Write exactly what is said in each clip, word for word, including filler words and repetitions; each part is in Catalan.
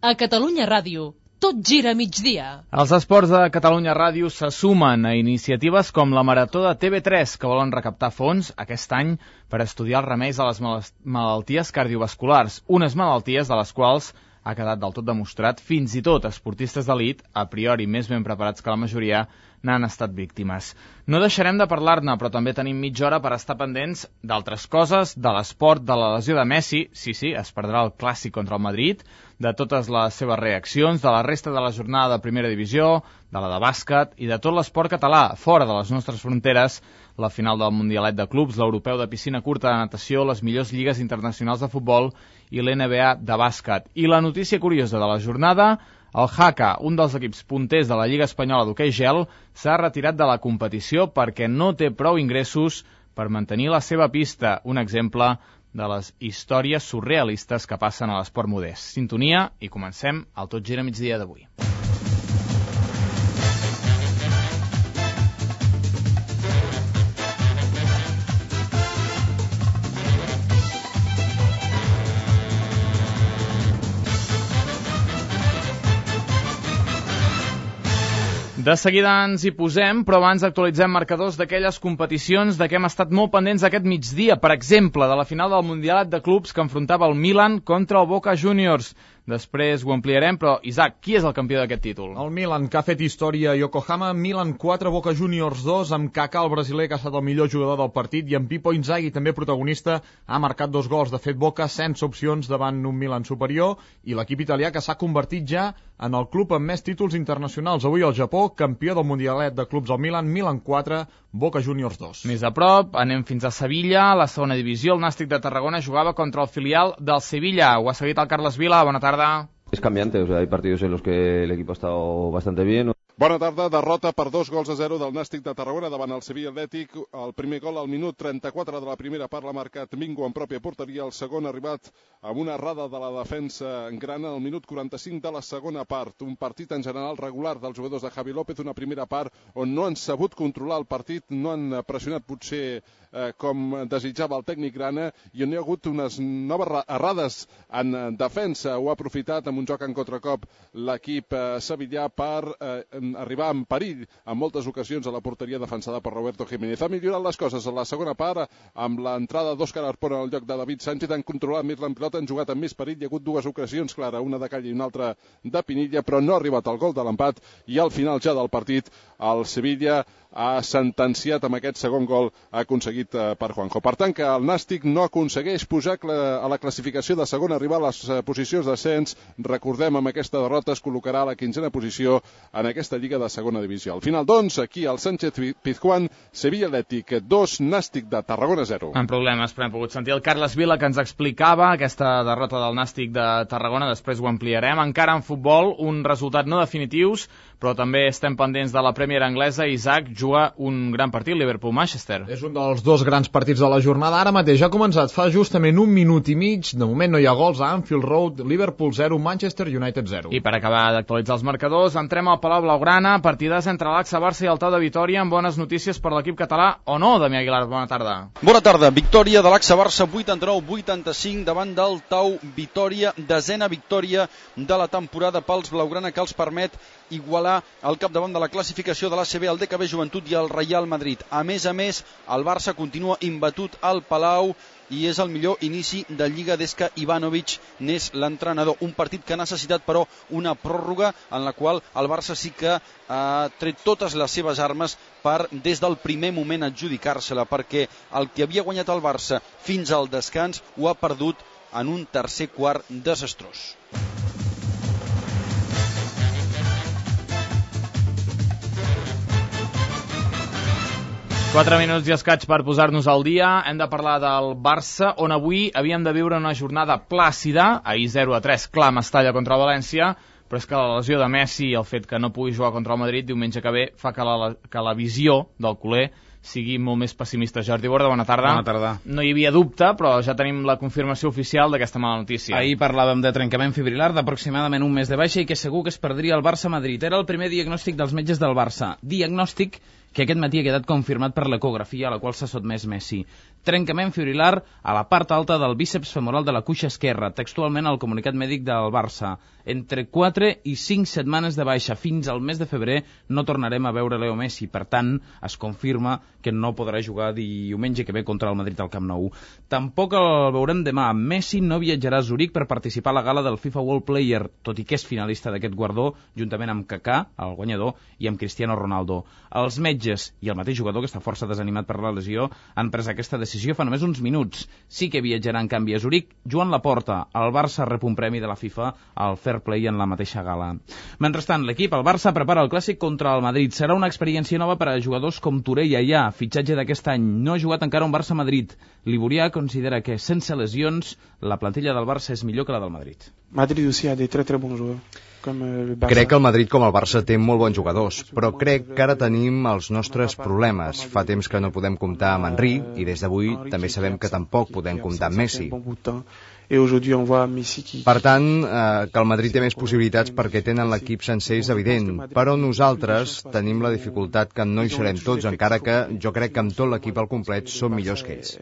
A Catalunya Ràdio, tot gira a migdia. Els esports de Catalunya Ràdio se sumen a iniciatives com la Marató de T V tres, que volen recaptar fons aquest any per estudiar els remeis a les malalties cardiovasculars, unes malalties de les quals ha quedat del tot demostrat, fins i tot esportistes d'elit, a priori més ben preparats que la majoria, n'han estat víctimes. No deixarem de parlar-ne, però també tenim mitja hora per estar pendents d'altres coses, de l'esport, de la lesió de Messi, sí, sí, es perdrà el clàssic contra el Madrid, de totes les seves reaccions, de la resta de la jornada de primera divisió, de la de bàsquet i de tot l'esport català, fora de les nostres fronteres, la final del Mundialet de Clubs, l'europeu de piscina curta de natació, les millors lligues internacionals de futbol i l'N B A de bàsquet. I la notícia curiosa de la jornada, el Jaca, un dels equips punters de la Lliga Espanyola d'hoquei gel, s'ha retirat de la competició perquè no té prou ingressos per mantenir la seva pista. Un exemple de les històries surrealistes que passen a l'esport modest. Sintonia i comencem el Tot gira migdia d'avui. De seguida ens hi posem, però abans actualitzem marcadors d'aquelles competicions de què hem estat molt pendents aquest migdia. Per exemple, de la final del Mundialet de Clubs que enfrontava el Milan contra el Boca Juniors. Després ho ampliarem, però, Isaac, qui és el campió d'aquest títol? El Milan, que ha fet història a Yokohama. Milan quatre, Boca Juniors dos, amb Kaká, el brasiler, que ha estat el millor jugador del partit, i amb Pipo Inzaghi, també protagonista, ha marcat dos gols. De fet, Boca sense opcions davant un Milan superior, i l'equip italià que s'ha convertit ja en el club amb més títols internacionals. Avui al Japó, campió del Mundialet de Clubs al Milan, Milan quatre, Boca Juniors dos. Més a prop, anem fins a Sevilla, la segona divisió. El Nàstic de Tarragona jugava contra el filial del Sevilla. Ho ha seguit el Carles Vila. Bona tarda. Es cambiante, o sea, hay partidos en los que el equipo ha estado bastante bien. Bona tarda, derrota per dos gols a zero del Nàstic de Tarragona davant el Sevilla Atlètic. El primer gol al minut trenta-quatre de la primera part l'ha marcat Mingo en pròpia porteria. El segon ha arribat amb una errada de la defensa en grana al minut quaranta-cinc de la segona part. Un partit en general regular dels jugadors de Javi López, una primera part on no han sabut controlar el partit, no han pressionat potser eh, com desitjava el tècnic grana, i on hi ha hagut unes noves errades en defensa. Ho ha aprofitat amb un joc en contracop l'equip eh, sevillà per eh, arribar en perill en moltes ocasions a la porteria defensada per Roberto Jiménez. Ha millorat les coses a la segona part amb l'entrada d'Òscar Arpona al lloc de David Sánchez. Han controlat més la pilota, han jugat amb més perill. Hi ha hagut dues ocasions, clara, una de Calle i una altra de Pinilla, però no ha arribat el gol de l'empat, i al final ja del partit el Sevilla ha sentenciat amb aquest segon gol aconseguit per Juanjo. Per tant, que el Nàstic no aconsegueix pujar a la classificació de segona, arribar a les posicions d'ascens. Recordem, amb aquesta derrota es col·locarà a la quinzena posició en aquesta lliga de segona divisió. Al final, doncs, aquí al Sánchez Pizjuán, Sevilla Atlètic dos, Nàstic de Tarragona zero. En problemes, però hem pogut sentir el Carles Vila, que ens explicava aquesta derrota del Nàstic de Tarragona. Després ho ampliarem. Encara en futbol, un resultat no definitius, però també estem pendents de la Premier anglesa. Isaac, juga un gran partit, Liverpool-Manchester. És un dels dos grans partits de la jornada. Ara mateix ha començat fa justament un minut i mig. De moment no hi ha gols a Anfield Road. Liverpool zero, Manchester United zero. I per acabar d'actualitzar els marcadors, entrem al Palau Blaugrana. Partidàs entre l'Axa Barça i el Tau de Vitòria, amb bones notícies per l'equip català, o no, Damià Aguilar? Bona tarda. Bona tarda. Victòria de l'Axa Barça vuitanta-nou vuitanta-cinc davant del Tau Vitòria. Desena victòria de la temporada pels Blaugrana, que els permet igualar el capdavant de la classificació de l'A C B, el D K B Joventut i el Real Madrid. A més a més, el Barça continua imbatut al Palau i és el millor inici de Lliga des que Ivanovic n'és l'entrenador. Un partit que ha necessitat, però, una pròrroga en la qual el Barça sí que ha tret totes les seves armes per, des del primer moment, adjudicar-se-la, perquè el que havia guanyat el Barça fins al descans ho ha perdut en un tercer quart desastrós. Quatre minuts i escaig per posar-nos al dia. Hem de parlar del Barça, on avui havíem de viure una jornada plàcida. Ahir zero a tres, clar, Mestalla contra València, però és que la lesió de Messi i el fet que no pugui jugar contra el Madrid diumenge que ve fa que la, que la visió del culer sigui molt més pessimista. Jordi Borda, bona tarda. Bona tarda. No hi havia dubte, però ja tenim la confirmació oficial d'aquesta mala notícia. Ahir parlàvem de trencament fibrilar d'aproximadament un mes de baixa i que segur que es perdria el Barça-Madrid. Era el primer diagnòstic dels metges del Barça. Diagnòstic que aquest matí ha quedat confirmat per l'ecografia a la qual s'ha sotmès Messi. trencament fibrilar a la part alta del bíceps femoral de la cuixa esquerra, textualment al comunicat mèdic del Barça. Entre quatre i cinc setmanes de baixa. Fins al mes de febrer no tornarem a veure Leo Messi. Per tant, es confirma que no podrà jugar diumenge que ve contra el Madrid al Camp Nou. Tampoc el veurem demà. Messi no viatjarà a Zuric per participar a la gala del FIFA World Player, tot i que és finalista d'aquest guardó, juntament amb Kaká, el guanyador, i amb Cristiano Ronaldo. Els metges i el mateix jugador, que està força desanimat per la lesió, han pres aquesta decisió fa només uns minuts. Sí que viatjarà en canvi a Zuric Joan Laporta. El Barça rep un premi de la FIFA al Fair Play en la mateixa gala. Mentrestant, l'equip, el Barça, prepara el clàssic contra el Madrid. Serà una experiència nova per a jugadors com Touré i Allà, fitxatge d'aquest any. No ha jugat encara un Barça-Madrid. L'Iborià considera que, sense lesions, la plantilla del Barça és millor que la del Madrid. Madrid aussi a des très très bons joueurs. Crec que el Madrid com el Barça té molt bons jugadors, però crec que ara tenim els nostres problemes. Fa temps que no podem comptar amb Henry i des d'avui també sabem que tampoc podem comptar amb Messi. Per tant, eh, que el Madrid té més possibilitats perquè tenen l'equip sencer és evident, però nosaltres tenim la dificultat que no hi serem tots, encara que jo crec que amb tot l'equip al complet som millors que ells.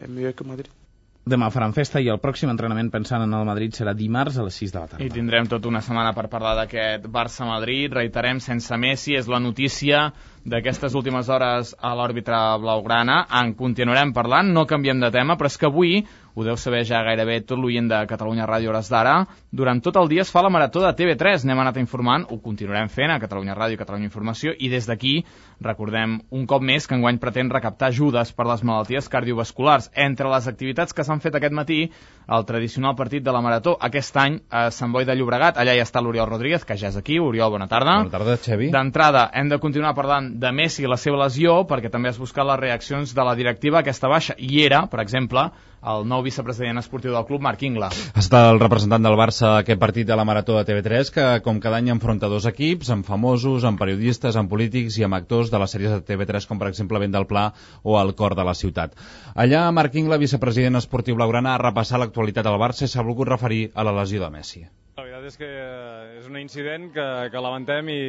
Demà faran festa i el pròxim entrenament pensant en el Madrid serà dimarts a les sis de la tarda. I tindrem tota una setmana per parlar d'aquest Barça-Madrid. Reiterem, sense Messi, és la notícia d'aquestes últimes hores a l'òrbita blaugrana. En continuarem parlant, no canviem de tema, però és que avui, ho deu saber ja gairebé tot l'oient de Catalunya Ràdio Hores d'Ara, durant tot el dia es fa la marató de T V tres. N'hem anat informant, ho continuarem fent a Catalunya Ràdio i Catalunya Informació, i des d'aquí recordem un cop més que enguany pretén recaptar ajudes per les malalties cardiovasculars. Entre les activitats que s'han fet aquest matí, el tradicional partit de la marató, aquest any a Sant Boi de Llobregat. Allà ja està l'Oriol Rodríguez, que ja és aquí. Oriol, bona tarda. Bona tarda, Xavi. D'entrada, hem de continuar parlant de Messi i la seva lesió, perquè també has buscat les reaccions de la directiva a aquesta baixa. I era, per exemple, el nou vicepresident esportiu del club, Marc Ingla. Ha estat el representant del Barça a aquest partit de la marató de T V tres, que com cada any enfronta dos equips, amb famosos, amb periodistes, amb polítics i amb actors de les sèries de T V tres, com per exemple Vent del Pla o El cor de la ciutat. Allà, Marc Ingla, vicepresident esportiu blaugrana, ha repassat l'actualitat del Barça i s'ha volgut referir a la lesió de Messi. La veritat és que és un incident que, que lamentem i...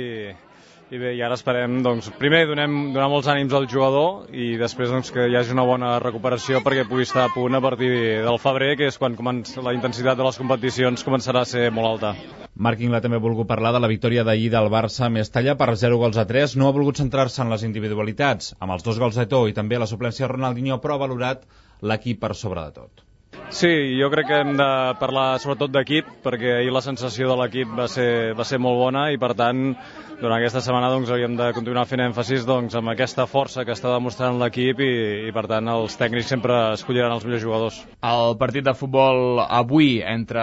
I bé, i ara esperem, doncs, primer donem, donar molts ànims al jugador i després doncs, que hi hagi una bona recuperació perquè pugui estar a punt a partir del febrer, que és quan comença, la intensitat de les competicions començarà a ser molt alta. Marc Ingla també ha volgut parlar de la victòria d'ahir del Barça a Mestalla per zero gols a tres. No ha volgut centrar-se en les individualitats, amb els dos gols d'Eto'o i també la suplència de Ronaldinho, però ha valorat l'equip per sobre de tot. Sí, jo crec que hem de parlar sobretot d'equip, perquè ahir la sensació de l'equip va ser, va ser molt bona i per tant durant aquesta setmana doncs, hauríem de continuar fent èmfasis doncs, amb aquesta força que està demostrant l'equip i, i per tant els tècnics sempre escolliran els millors jugadors. El partit de futbol avui entre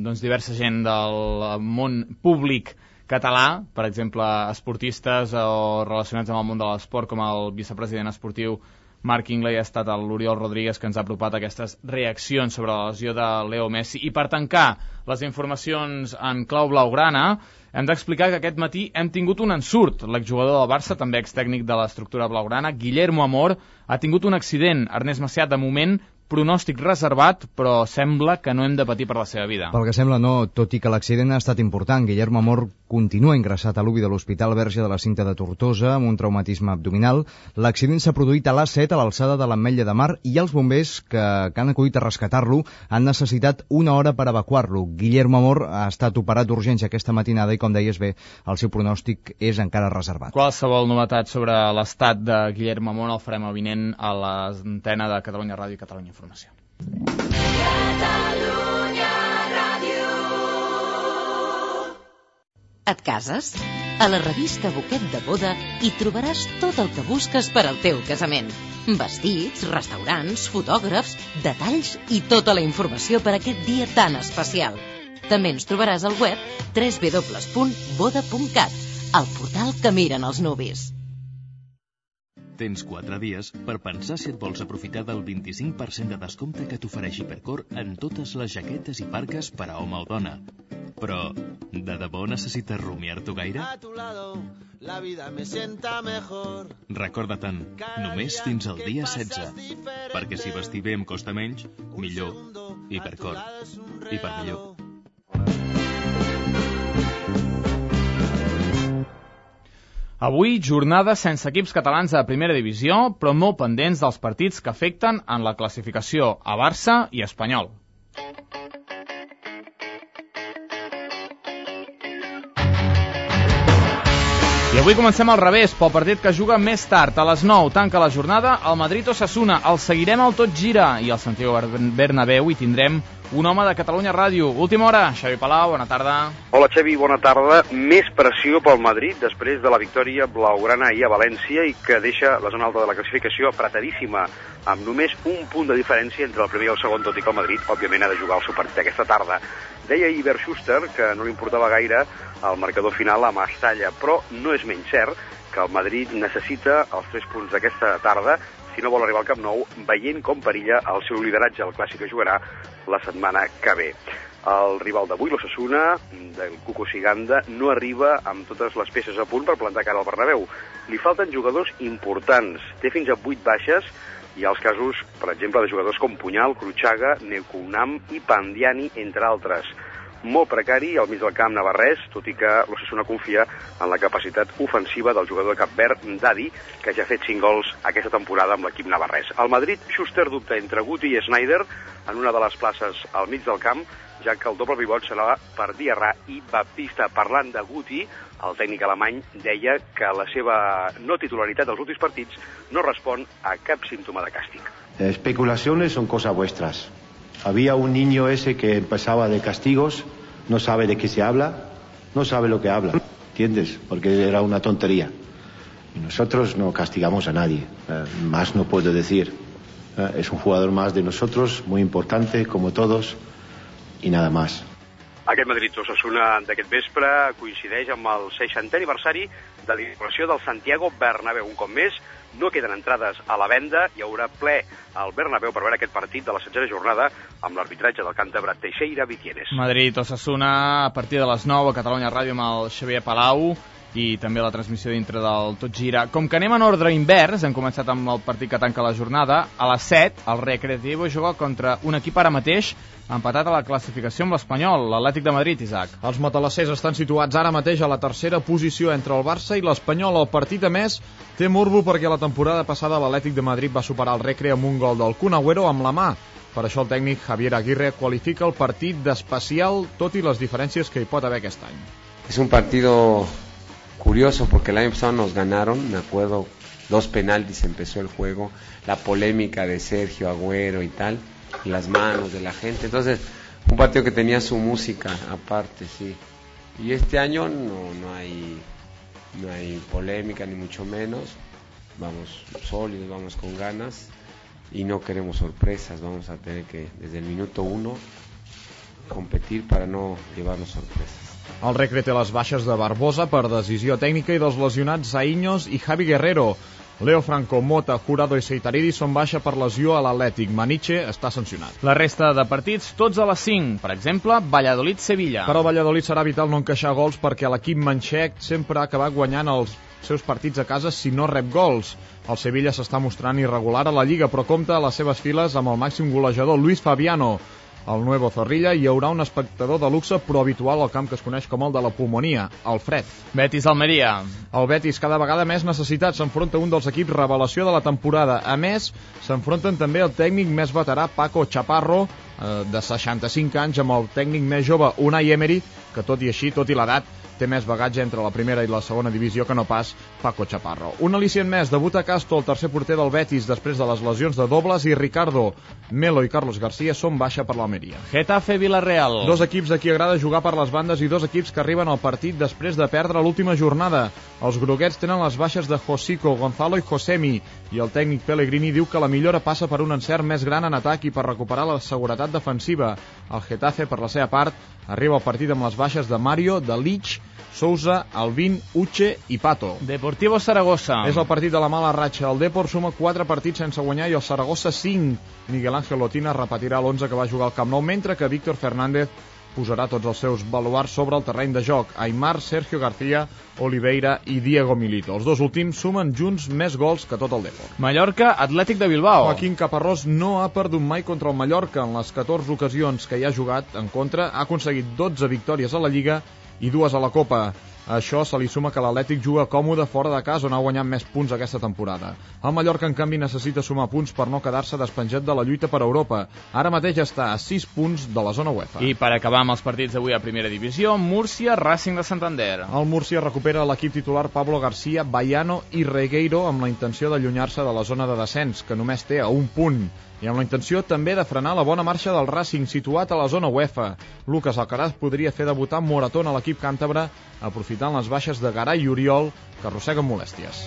doncs, diversa gent del món públic català, per exemple esportistes o relacionats amb el món de l'esport, com el vicepresident esportiu Marc Ingla, i ha estat l'Oriol Rodríguez que ens ha apropat aquestes reaccions sobre la lesió de Leo Messi. I per tancar les informacions en clau blaugrana, hem d'explicar que aquest matí hem tingut un ensurt. L'exjugador del Barça, també extècnic de l'estructura blaugrana, Guillermo Amor, ha tingut un accident. Ernest Macià, de moment, pronòstic reservat, però sembla que no hem de patir per la seva vida. Pel que sembla no, tot i que l'accident ha estat important. Guillermo Amor continua ingressat a l'U B I de l'Hospital Verge de la Cinta de Tortosa amb un traumatisme abdominal. L'accident s'ha produït a l'A set a l'alçada de l'Ametlla de Mar i els bombers que, que han acudit a rescatar-lo han necessitat una hora per evacuar-lo. Guillermo Amor ha estat operat d'urgència aquesta matinada i, com deies bé, el seu pronòstic és encara reservat. Qualsevol novetat sobre l'estat de Guillermo Amor el farem avinent a l'antena de Catalunya Ràdio i Catalunya Informació. Catalunya Ràdio. Et cases? A la revista Buquet de Boda hi trobaràs tot el que busques per al teu casament. Vestits, restaurants, fotògrafs, detalls i tota la informació per aquest dia tan especial. També ens trobaràs al web w w w punt boda punt cat, el portal que miren els nuvis. Tens quatre dies per pensar si et vols aprofitar del vint-i-cinc per cent de descompte que t'ofereix Hipercor en totes les jaquetes i parques per a home o dona. Però, de debò necessites rumiar-t'ho gaire? A tu lado, la vida me sienta mejor. Recorda-te'n, només fins al dia setze. Perquè si vestir bé em costa menys, millor. Hipercor. I per millor. Avui, jornada sense equips catalans de primera divisió, però molt pendents dels partits que afecten en la classificació a Barça i Espanyol. I avui comencem al revés, pel partit que juga més tard. A les nou tanca la jornada el Madrid-Osasuna. El seguirem al Tot Gira i al Santiago Bernabéu hi tindrem un home de Catalunya Ràdio. Última hora, Xavi Palau, bona tarda. Hola Xavi, bona tarda. Més pressió pel Madrid després de la victòria blaugrana ahir a València i que deixa la zona alta de la classificació apretadíssima, amb només un punt de diferència entre el primer i el segon, tot i que el Madrid, òbviament, ha de jugar el seu partit aquesta tarda. Deia ahir Bert Schuster que no li importava gaire el marcador final a Mestalla, però no és menys cert que el Madrid necessita els tres punts d'aquesta tarda si no vol arribar al Camp Nou, veient com perilla el seu lideratge al clàssic que jugarà la setmana que ve. El rival d'avui, l'Osasuna, del Cuco Siganda, no arriba amb totes les peces a punt per plantar cara al Bernabéu. Li falten jugadors importants, té fins a vuit baixes, i els casos, per exemple, de jugadors com Punyal, Cruchaga, Neukunam i Pandiani, entre altres. Molt precari al mig del camp navarrès, tot i que l'Osasuna confia en la capacitat ofensiva del jugador de Cap Verd, Dadi, que ja ha fet cinc gols aquesta temporada amb l'equip navarrès. Al Madrid, Schuster dubta entre Guti i Snyder en una de les places al mig del camp, ja que el doble pivot serà per Diarra i Baptista. Parlant de Guti, el tècnic alemany deia que la seva no titularitat dels últims partits no respon a cap símptoma de càstig. Especulaciones son cosas vuestras. Había un niño ese que empezaba de castigos, no sabe de qué se habla, no sabe lo que habla, ¿entiendes? Porque era una tontería. Y nosotros no castigamos a nadie, eh, más no puedo decir. Eh, es un jugador más de nosotros, muy importante, como todos, y nada más. Aquest Madrid-Osasuna d'aquest vespre coincideix amb el seixantè aniversari de l'inauguració del Santiago Bernabéu. Un cop més, no queden entrades a la venda, hi haurà ple al Bernabéu per veure aquest partit de la setzena jornada amb l'arbitratge del càntabre Teixeira Vitienes. Madrid-Osasuna a partir de les nou a Catalunya Ràdio amb el Xavier Palau i també la transmissió dintre del Tot Gira. Com que anem en ordre invers, hem començat amb el partit que tanca la jornada, a les set el Recreativo juga contra un equip ara mateix empatat a la classificació amb l'Espanyol, l'Atlètic de Madrid, Isaac. Els matalassers estan situats ara mateix a la tercera posició entre el Barça i l'Espanyol. El partit, a més, té morbo perquè la temporada passada l'Atlètic de Madrid va superar el Recre amb un gol del Kun Agüero amb la mà. Per això el tècnic Javier Aguirre qualifica el partit d'especial, tot i les diferències que hi pot haver aquest any. És un partido curioso porque el año pasado nos ganaron, me acuerdo, dos penaltis empezó el juego, la polémica de Sergio Agüero y tal, y las manos de la gente, entonces un partido que tenía su música aparte, sí. Y este año no, no hay no hay polémica ni mucho menos, vamos sólidos, vamos con ganas y no queremos sorpresas, vamos a tener que desde el minuto uno competir para no llevarnos sorpresas. El Recre té les baixes de Barbosa per decisió tècnica i dels lesionats Zaïnyos i Javi Guerrero. Leo Franco, Mota, Jurado i Seitaridi són baixa per lesió a l'Atlètic. Maniche està sancionat. La resta de partits, tots a les cinc. Per exemple, Valladolid-Sevilla. Per al Valladolid serà vital no encaixar gols perquè l'equip manxec sempre ha acabat guanyant els seus partits a casa si no rep gols. El Sevilla s'està mostrant irregular a la Lliga, però compta a les seves files amb el màxim golejador, Luis Fabiano. Al Nuevo Zorrilla hi haurà un espectador de luxe però habitual al camp que es coneix com el de la pulmonia, el Fred. Betis-Almeria. El Betis cada vegada més necessitat s'enfronta un dels equips revelació de la temporada. A més, s'enfronten també el tècnic més veterà Paco Chaparro, eh, de seixanta-cinc anys, amb el tècnic més jove Unai Emery, que tot i així, tot i l'edat, té més bagatge entre la primera i la segona divisió que no pas Paco Chaparro. Un al·licient més, debuta Castro, el tercer porter del Betis, després de les lesions de Dobles i Ricardo. Melo i Carlos García són baixa per l'Almeria. Getafe-Villarreal. Dos equips a qui agrada jugar per les bandes i dos equips que arriben al partit després de perdre l'última jornada. Els groguets tenen les baixes de Josico, Gonzalo i Josemi, i el tècnic Pellegrini diu que la millora passa per un encert més gran en atac i per recuperar la seguretat defensiva. El Getafe, per la seva part, arriba al partit amb les baixes de Mario, de Lich, Sousa, Alvin, Uche i Pato. Deportivo Saragossa. És el partit de la mala ratxa. El Depor suma quatre partits sense guanyar i el Saragossa cinc. Miguel Ángel Lotina repetirà l'onze que va jugar al Camp Nou, mentre que Víctor Fernández posarà tots els seus baluars sobre el terreny de joc. Aimar, Sergio García, Oliveira i Diego Milito. Els dos últims sumen junts més gols que tot el Depor. Mallorca, Atlètic de Bilbao. Joaquín Caparrós no ha perdut mai contra el Mallorca. En les catorze ocasions que hi ha jugat en contra, ha aconseguit dotze victòries a la Lliga i dues a la Copa. A això se li suma que l'Atlètic juga còmode fora de casa, on ha guanyat més punts aquesta temporada. El Mallorca, en canvi, necessita sumar punts per no quedar-se despenjat de la lluita per Europa. Ara mateix està a sis punts de la zona UEFA. I per acabar amb els partits d'avui a Primera Divisió, Múrcia, Racing de Santander. El Múrcia recupera l'equip titular Pablo García, Baiano i Regueiro amb la intenció d'allunyar-se de la zona de descens, que només té a un punt. I amb la intenció també de frenar la bona marxa del Racing, situat a la zona UEFA. Lucas Alcaraz podria fer debutar Moratón a l'equip càntabre, aprofitant les baixes de Garay i Oriol, que arrosseguen molèsties.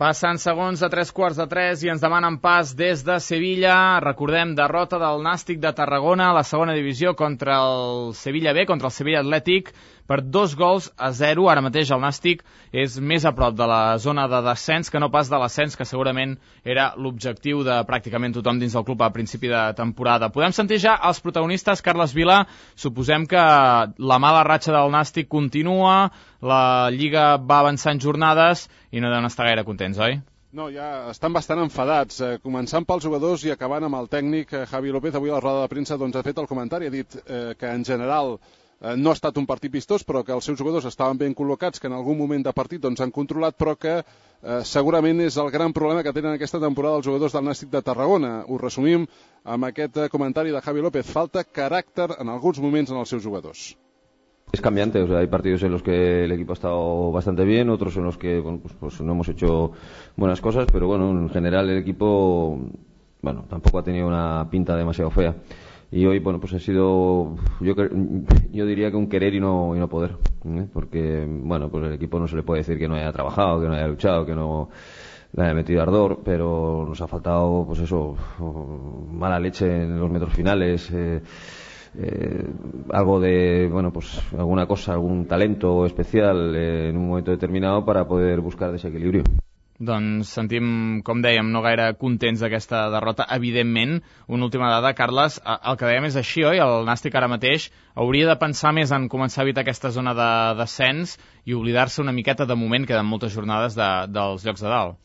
Passen segons de tres quarts de tres i ens demanen pas des de Sevilla. Recordem, derrota del Nàstic de Tarragona a la segona divisió contra el Sevilla B, contra el Sevilla Atlètic, per dos gols a zero. Ara mateix el Nàstic és més a prop de la zona de descens que no pas de l'ascens, que segurament era l'objectiu de pràcticament tothom dins del club a principi de temporada. Podem sentir ja els protagonistes. Carles Vila, suposem que la mala ratxa del Nàstic continua, la Lliga va avançant jornades i no deuen estar gaire contents, oi? No, ja estan bastant enfadats, eh, començant pels jugadors i acabant amb el tècnic eh, Javi López. Avui a la roda de premsa doncs, ha fet el comentari, ha dit eh, que en general eh, no ha estat un partit vistós, però que els seus jugadors estaven ben col·locats, que en algun moment de partit doncs, han controlat, però que eh, segurament és el gran problema que tenen aquesta temporada els jugadors del Nàstic de Tarragona. Ho resumim amb aquest eh, comentari de Javi López. Falta caràcter en alguns moments en els seus jugadors. Es cambiante, o sea, hay partidos en los que el equipo ha estado bastante bien, otros en los que bueno, pues, pues no hemos hecho buenas cosas, pero bueno, en general el equipo, bueno, tampoco ha tenido una pinta demasiado fea. Y hoy, bueno, pues ha sido, yo, yo diría que un querer y no, y no poder, ¿eh? Porque, bueno, pues el equipo no se le puede decir que no haya trabajado, que no haya luchado, que no le haya metido ardor, pero nos ha faltado, pues eso, mala leche en los metros finales, eh, Eh, algo de, bueno, pues alguna cosa, algún talento especial eh, en un momento determinado para poder buscar desequilibrio. Doncs sentim, com dèiem, no gaire contents d'aquesta derrota, evidentment. Una última dada, Carles, el que dèiem és així, oi? El Nàstic ara mateix hauria de pensar més en començar a evitar aquesta zona de descens i oblidar-se una miqueta, de moment, queden moltes jornades de, dels llocs de dalt.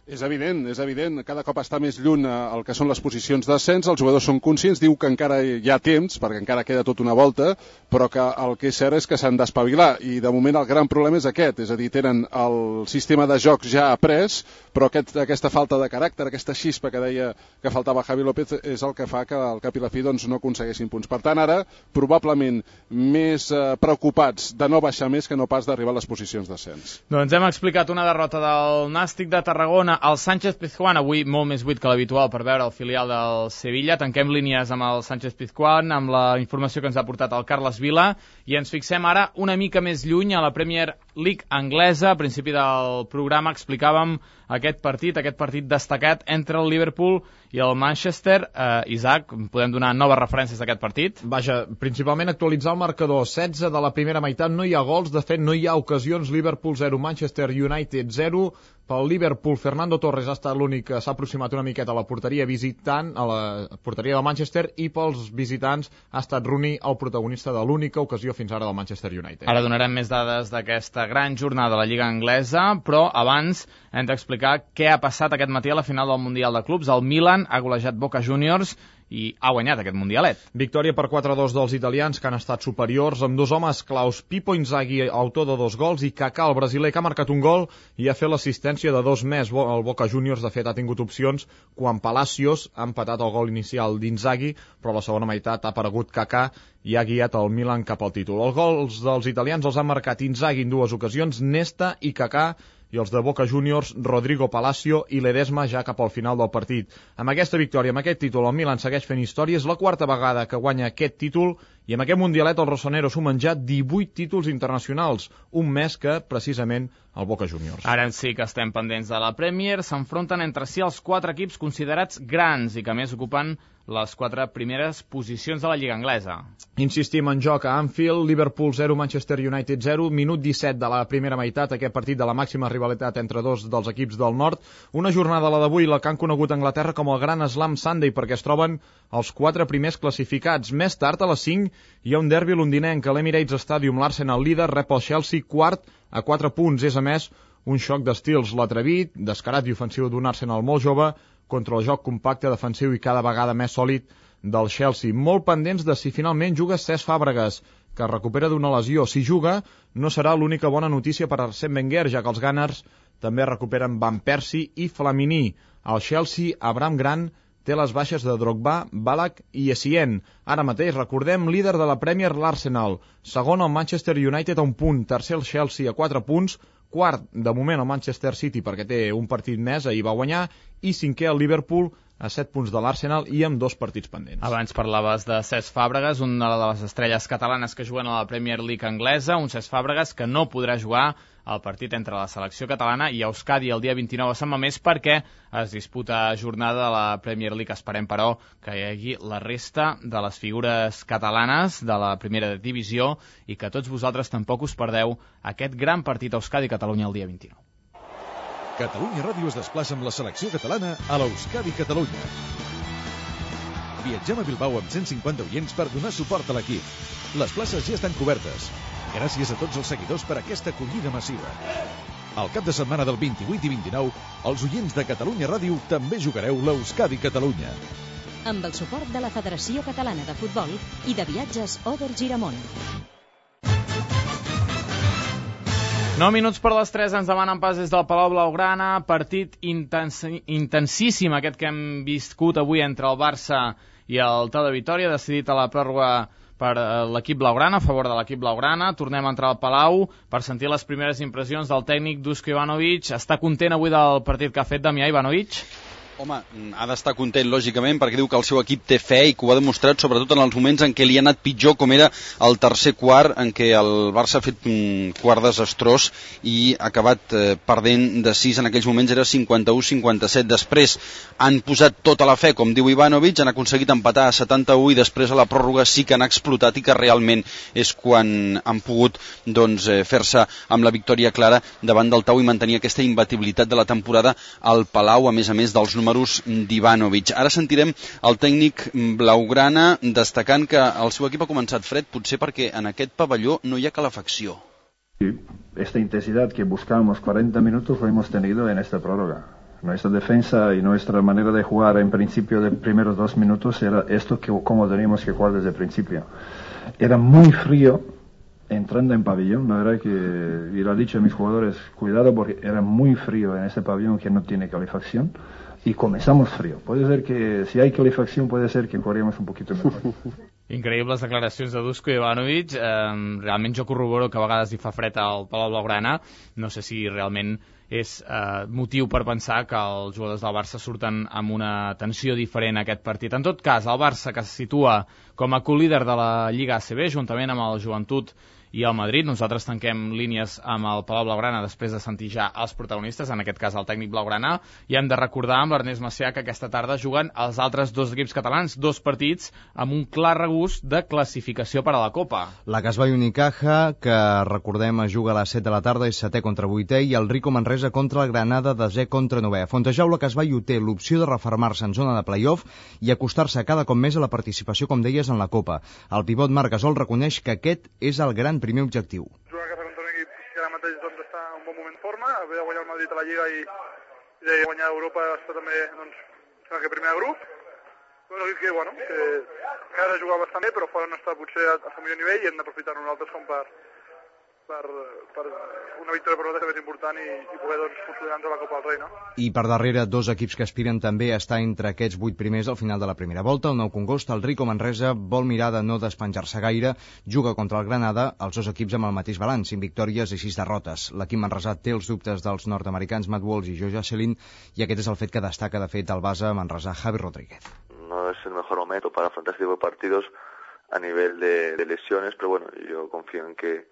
És evident, és evident, cada cop està més lluny el que són les posicions d'ascens, els jugadors són conscients, diu que encara hi ha temps, perquè encara queda tota una volta, però que el que és cert és que s'han d'espavilar, i de moment el gran problema és aquest, és a dir, tenen el sistema de joc ja après, però aquest, aquesta falta de caràcter, aquesta xispa que deia que faltava Javi López, és el que fa que al cap i la fi doncs, no aconseguessin punts. Per tant, ara, probablement més eh, preocupats de no baixar més que no pas d'arribar a les posicions d'ascens. Doncs hem explicat una derrota del Nàstic de Tarragona. El Sánchez Pizjuán, avui molt més buit que l'habitual per veure el filial del Sevilla. Tanquem línies amb el Sánchez Pizjuán, amb la informació que ens ha portat el Carles Vila, i ens fixem ara una mica més lluny a la Premier League anglesa. A principi del programa explicàvem aquest partit, aquest partit destacat entre el Liverpool i el Manchester. Eh, Isaac, podem donar noves referències d'aquest partit? Vaja, principalment actualitzar el marcador. setze de la primera meitat, no hi ha gols, de fet no hi ha ocasions. Liverpool zero, Manchester United zero. Pel Liverpool, Fernando Torres ha estat l'únic que s'ha aproximat una miqueta a la porteria visitant, a la porteria del Manchester, i pels visitants ha estat Rooney el protagonista de l'única ocasió fins ara del Manchester United. Ara donarem més dades d'aquesta gran jornada de la Lliga Anglesa, però abans hem d'explicar què ha passat aquest matí a la final del Mundial de Clubs. El Milan ha golejat Boca Juniors i ha guanyat aquest mundialet. Victòria per quatre a dos dels italians, que han estat superiors, amb dos homes claus, Pippo Inzaghi, autor de dos gols, i Kaká, el brasiler, que ha marcat un gol i ha fet l'assistència de dos més. El Boca Juniors, de fet, ha tingut opcions quan Palacios ha empatat el gol inicial d'Inzaghi, però a la segona meitat ha aparegut Kaká i ha guiat el Milan cap al títol. Els gols dels italians els han marcat Inzaghi en dues ocasions, Nesta i Kaká, i els de Boca Juniors, Rodrigo Palacio i Ledesma, ja cap al final del partit. Amb aquesta victòria, amb aquest títol, el Milan segueix fent història. És la quarta vegada que guanya aquest títol, i amb aquest mundialet els rossoneros sumen ja divuit títols internacionals, un més que, precisament, el Boca Juniors. Ara sí que estem pendents de la Premier. S'enfronten entre si els quatre equips considerats grans i que més ocupen les quatre primeres posicions de la Lliga Anglesa. Insistim en joc a Anfield, Liverpool zero, Manchester United zero, minut disset de la primera meitat, aquest partit de la màxima rivalitat entre dos dels equips del nord. Una jornada, la d'avui, la que han conegut a Anglaterra com el Gran Slam Sunday, perquè es troben els quatre primers classificats. Més tard, a les cinc, hi ha un derbi londinenc a l'Emirates Stadium. L'Arsenal líder rep el Chelsea quart a quatre punts. És, a més, un xoc d'estils. L'atrevit, descarat i ofensiu d'un Arsenal molt jove contra el joc compacte, defensiu i cada vegada més sòlid del Chelsea. Molt pendents de si finalment juga Cesc Fàbregas, que es recupera d'una lesió. Si juga, no serà l'única bona notícia per Arsène Wenger, ja que els Gunners també recuperen Van Persie i Flamini. El Chelsea, Abraham Grant, té les baixes de Drogba, Ballack i Essien. Ara mateix, recordem, líder de la Premier, l'Arsenal. Segon, el Manchester United a un punt. Tercer, el Chelsea a quatre punts. Quart, de moment, el Manchester City, perquè té un partit més, ahir va guanyar. I cinquè, el Liverpool, a set punts de l'Arsenal i amb dos partits pendents. Abans parlaves de Cesc Fàbregas, una de les estrelles catalanes que juguen a la Premier League anglesa, un Cesc Fàbregas que no podrà jugar el partit entre la selecció catalana i Euskadi el dia vint-i-nou a Sant Mamés perquè es disputa jornada de la Premier League. Esperem, però, que hi hagi la resta de les figures catalanes de la primera divisió i que tots vosaltres tampoc us perdeu aquest gran partit Euskadi-Catalunya el dia vint-i-nou. Catalunya Ràdio es desplaça amb la selecció catalana a l'Euskadi Catalunya. Viatgem a Bilbao amb cent cinquanta oients per donar suport a l'equip. Les places ja estan cobertes. Gràcies a tots els seguidors per aquesta acollida massiva. Al cap de setmana del vint-i-vuit i vint-i-nou, els oients de Catalunya Ràdio també jugareu l'Euskadi Catalunya. Amb el suport de la Federació Catalana de Futbol i de Viatges Oder Giramont. nou minuts per les tres ens demanen pas des del Palau Blaugrana, partit intens intensíssim aquest que hem viscut avui entre el Barça i el Tau de Vitòria, decidit a la pròrroga per l'equip blaugrana, a favor de l'equip blaugrana. Tornem a entrar al Palau per sentir les primeres impressions del tècnic Dusko Ivanovic. Està content avui del partit que ha fet Damià Ivanovic? Home, ha d'estar content, lògicament, perquè diu que el seu equip té fe i que ho ha demostrat, sobretot en els moments en què li ha anat pitjor, com era el tercer quart, en què el Barça ha fet un quart desastrós i ha acabat eh, perdent de sis, en aquells moments era cinquanta-u cinquanta-set. Després han posat tota la fe, com diu Ivanovic, han aconseguit empatar a setanta-u i després a la pròrroga sí que han explotat i que realment és quan han pogut doncs, eh, fer-se amb la victòria clara davant del Tau i mantenir aquesta imbatibilitat de la temporada al Palau, a més a més dels números d'Ivanovic. Ara sentirem el tècnic blaugrana destacant que el seu equip ha començat fred, potser perquè en aquest pavelló no hi ha calefacció. Esta intensidad que buscamos cuarenta minutos lo hemos tenido en esta prórroga. Nuestra defensa y nuestra manera de jugar en principio de primeros dos minutos era esto que como teníamos que jugar desde el principio. Era muy frío entrando en pabellón, la verdad que, y lo he dicho a mis jugadores, cuidado porque era muy frío en este pabellón que no tiene calefacción. Y comenzamos frío. Puede ser que, si hay calefacción, puede ser que jugaríamos un poquito mejor. Increïbles declaracions de Dusko Ivanovic. Eh, realment jo corroboro que a vegades hi fa fred al Palau Blaugrana. No sé si realment és eh, motiu per pensar que els jugadors del Barça surten amb una tensió diferent a aquest partit. En tot cas, el Barça, que se situa com a co-líder de la Lliga A C B, juntament amb el Joventut i el Madrid. Nosaltres tanquem línies amb el Palau Blaugrana després de sentir ja els protagonistes, en aquest cas el tècnic blaugrana, i hem de recordar amb l'Ernest Macià que aquesta tarda juguen els altres dos equips catalans, dos partits amb un clar regust de classificació per a la Copa. La Casbai Unicaja, que recordem es juga a les set de la tarda, és setè contra vuitè, i el Rico Manresa contra el Granada, desè contra novè. Fontejaula Casbai ho té l'opció de refermar-se en zona de play-off i acostar-se cada cop més a la participació, com deies, en la Copa. El pivot Marc Gasol reconeix que aquest és el gran primer objectiu. Jugar a casa contra un equip que ara mateix doncs, està en un bon moment de forma, haver de guanyar el Madrid a la Lliga i, i de guanyar a Europa està també doncs, sembla que primer grup. Un equip que, bueno, que a casa juga bastant bé, però fora no està potser a, a seu millor nivell i hem d'aprofitar nosaltres com per, per, per una victòria per nosaltres més important i, i poder doncs, consolidar-nos a la Copa del Rei, no? I per darrere, dos equips que aspiren també a estar entre aquests vuit primers al final de la primera volta. El Nou Congost, el Rico Manresa, vol mirar de no despenjar-se gaire, juga contra el Granada, els dos equips amb el mateix balanç, cinc victòries i sis derrotes. L'equip manresà té els dubtes dels nord-americans Matt Walsh i Joe Jocelyn, i aquest és el fet que destaca de fet el base manresà Javi Rodríguez. No es el mejor momento para afrontar este tipo de partidos a nivel de, de lesiones, pero bueno, yo confío en que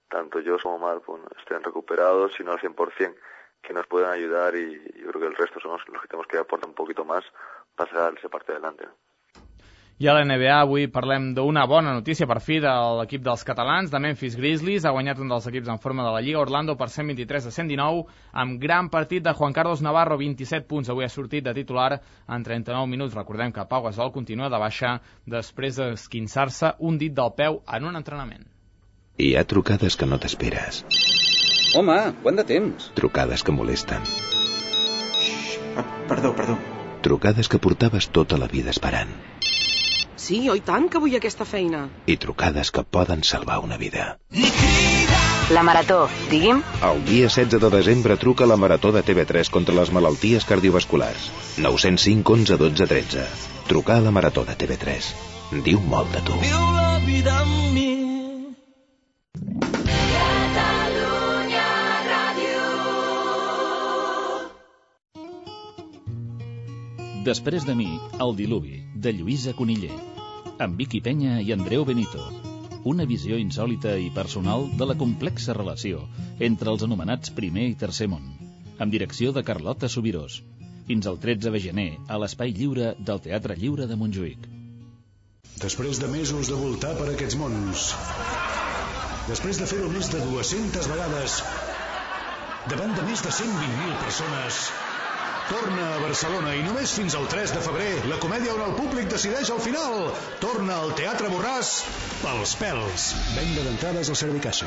tanto yo como Marc bueno, estén recuperados, si no al cien por cien, que nos puedan ayudar, y yo creo que el resto somos los que tenemos que aportar un poquito más para sacar ese partido adelante. I a la N B A avui parlem d'una bona notícia per fi de l'equip dels catalans, de Memphis Grizzlies. Ha guanyat un dels equips en forma de la Lliga, Orlando, per cent vint-i-tres a cent dinou, amb gran partit de Juan Carlos Navarro, vint-i-set punts. Avui ha sortit de titular en trenta-nou minuts. Recordem que Pau Gasol continua de baixa després d'esquinçar-se un dit del peu en un entrenament. Hi ha trucades que no t'esperes. Home, quant de temps? Trucades que molesten. Ah, perdó, perdó. Trucades que portaves tota la vida esperant. Sí, oi tant que vull aquesta feina. I trucades que poden salvar una vida. La Marató, digui'm. El dia setze de desembre truca a la Marató de T V tres contra les malalties cardiovasculars. nou zero cinc onze dotze tretze. Trucar a la Marató de T V tres. Diu molt de tu. Viu la vida amb mi. Catalunya Ràdio. Després de mi, El diluvi, de Lluïsa Coniller. Amb Vicky Penya i Andreu Benito. Una visió insòlita i personal de la complexa relació entre els anomenats primer i tercer món, amb direcció de Carlota Subirós, fins al tretze de gener a l'Espai Lliure del Teatre Lliure de Montjuïc. Després de mesos de voltar per aquests mons, després de fer-ho més de dues-centes vegades, davant de més de cent vint mil persones, torna a Barcelona i només fins al tres de febrer, la comèdia on el públic decideix al final. Torna al Teatre Borràs pels pèls. Venda d'entrades al Servicaixa.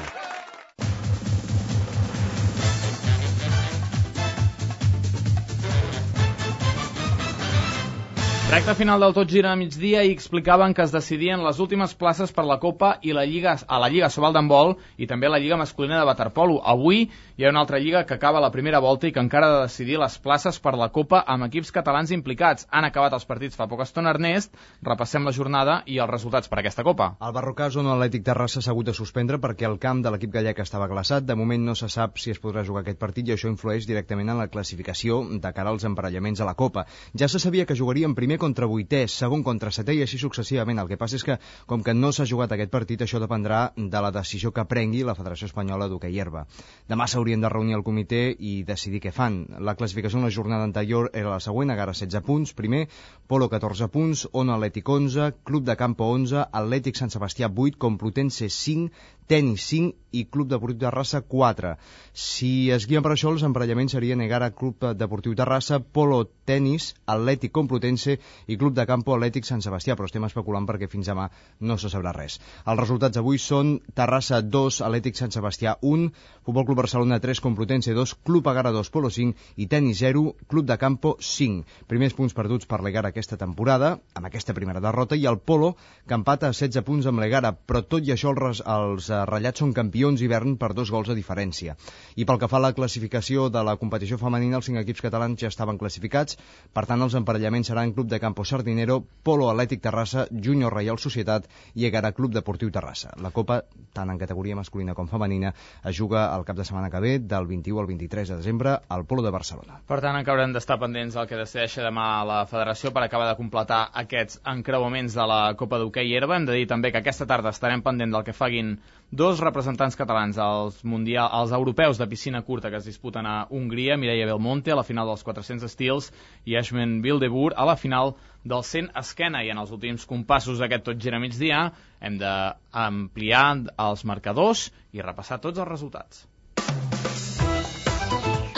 Recte final del Tot gira a migdia i explicaven que es decidien les últimes places per la Copa i la Lliga, a la Lliga Sobal d'handbol i també a la Lliga masculina de waterpolo. Avui hi ha una altra lliga que acaba la primera volta i que encara ha de decidir les places per la Copa amb equips catalans implicats. Han acabat els partits fa poca estona, Ernest. Repassem la jornada i els resultats per aquesta Copa. El Barrocà Zona Atlètic Terrassa s'ha hagut de suspendre perquè el camp de l'equip gallec estava glaçat. De moment no se sap si es podrà jugar aquest partit i això influeix directament en la classificació de cara als emparellaments a la Copa. Ja se sabia que jugarien primer contra vuitè, segon contra setè i així successivament. El que passa és que, com que no s'ha jugat aquest partit, això dependrà de la decisió que prengui la Federació Espanyola d'Hoquei Herba. Demà s'haurien de reunir el comitè i decidir què fan. La classificació en la jornada anterior era la següent: Egara setze punts, primer, Polo catorze punts, Ona Atlètic onze, Club de Campo onze, Atlètic Sant Sebastià vuit, Complutense cinc, Tenis cinc i Club Deportiu Terrassa quatre. Si es guien per això, els emparellaments serien Egara Club Deportiu Terrassa, Polo Tenis, Atlètic Complutense i Club de Campo Atlètic Sant Sebastià, però estem especulant perquè fins demà no se sabrà res. Els resultats avui són Terrassa dos, Atlètic Sant Sebastià un, Futbol Club Barcelona tres, Complutense dos, Club Egara dos, Polo cinc i Tenis zero, Club de Campo cinc. Primers punts perduts per l'Egara aquesta temporada, amb aquesta primera derrota, i el Polo, que empata a setze punts amb l'Egara, però tot i això els, els ratllats són campions hivern per dos gols de diferència. I pel que fa a la classificació de la competició femenina, els cinc equips catalans ja estaven classificats, per tant els emparellaments seran Club de Campo Sardinero, Polo Atlètic Terrassa, Júnior Reial Societat i Egara Club Deportiu Terrassa. La Copa, tant en categoria masculina com femenina, es juga el cap de setmana que ve, del vint-i-u al vint-i-tres de desembre, al Polo de Barcelona. Per tant, encara haurem d'estar pendents del que decideixi demà la Federació per acabar de completar aquests encreuaments de la Copa d'Hoquei Herba. Hem de dir també que aquesta tarda estarem pendent del que faguin dos representants catalans als, mundial, als europeus de piscina curta que es disputen a Hongria, Mireia Belmonte a la final dels quatre-cents estils i Ashman Wildeboer a la final del cent esquena. I en els últims compassos d'aquest Tot gira migdia hem d'ampliar els marcadors i repassar tots els resultats.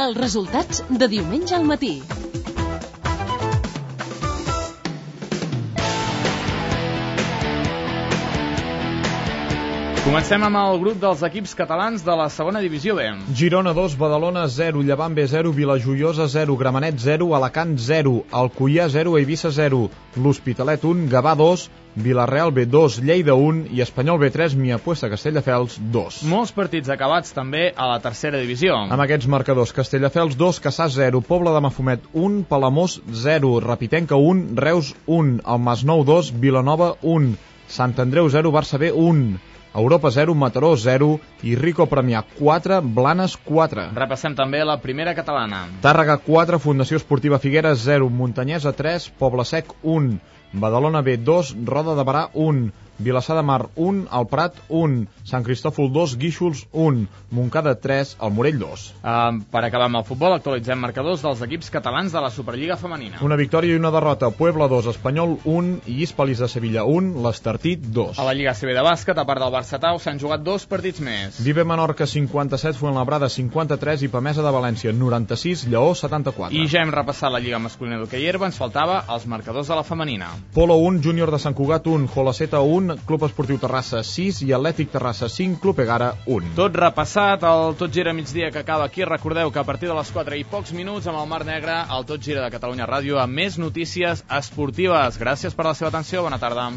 Els resultats de diumenge al matí. Comencem amb el grup dels equips catalans de la segona divisió B. Girona dos, Badalona zero, Llevant B zero, Vilajoiosa zero, Gramenet zero, Alacant zero, Alcoià zero, Eivissa zero, l'Hospitalet un, Gavà dos, Vilareal B dos, Lleida un i Espanyol B tres, Miapuesta Castelldefels dos. Molts partits acabats també a la tercera divisió. Amb aquests marcadors: Castelldefels dos, Cassà zero, Pobla de Mafumet un, Palamós zero, Rapitenca un, Reus un, el Masnou dos, Vilanova un, Sant Andreu zero, Barça B un, Europa zero, Mataró zero i Rico Premià quatre, Blanes quatre. Repassem també la primera catalana. Tàrrega quatre, Fundació Esportiva Figueres zero, Muntanyesa tres, Poble Sec un, Badalona B dos, Roda de Barà un, Vilassar de Mar un, el Prat un, Sant Cristòfol dos, Guíxols un, Montcada tres, el Morell dos. Uh, per acabar amb el futbol, actualitzem marcadors dels equips catalans de la Superliga femenina. Una victòria i una derrota: Puebla dos, Espanyol un i Hispalis de Sevilla un, l'Estartit dos. A la Lliga C B de bàsquet, a part del Barça-Tau, s'han jugat dos partits més. Vive Menorca cinquanta-set, Fuenlabrada cinquanta-tres i Pamesa de València noranta-sis, Lleó setanta-quatre. I ja hem repassat la Lliga masculina d'hoquei herba, ens faltava els marcadors de la femenina. Polo un, Júnior de Sant Cugat un, Jolaceta un, punt, Club Esportiu Terrassa sis i Atlètic Terrassa cinc, Club Egara un. Tot repassat, el Tot Gira migdia que acaba aquí. Recordeu que a partir de les quatre i pocs minuts amb el Mar Negre, el Tot Gira de Catalunya Ràdio amb més notícies esportives. Gràcies per la seva atenció, bona tarda.